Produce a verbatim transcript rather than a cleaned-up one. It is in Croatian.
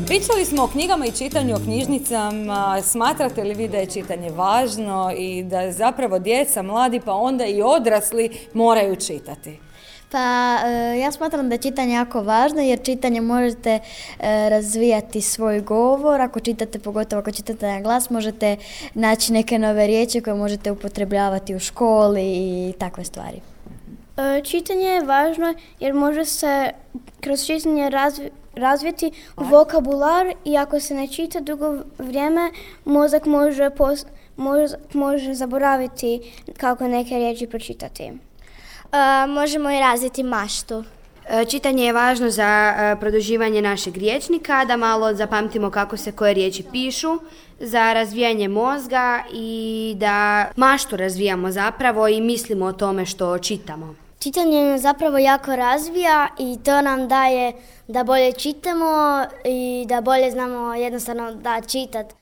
Pričali smo o knjigama i čitanju, o knjižnicama. Smatrate li vi da je čitanje važno i da zapravo djeca, mladi pa onda i odrasli moraju čitati? Pa ja smatram da je čitanje jako važno jer čitanje možete razvijati svoj govor. Ako čitate, pogotovo ako čitate na glas, možete naći neke nove riječi koje možete upotrebljavati u školi i takve stvari. Čitanje je važno jer može se kroz čitanje razvi, razviti vokabular i ako se ne čita dugo vrijeme, mozak može, pos, mozak može zaboraviti kako neke riječi pročitati. Uh, možemo i razviti maštu. Čitanje je važno za produživanje našeg rječnika, da malo zapamtimo kako se koje riječi pišu, za razvijanje mozga i da maštu razvijamo zapravo i mislimo o tome što čitamo. Čitanje nas zapravo jako razvija i to nam daje da bolje čitamo i da bolje znamo jednostavno da čitati.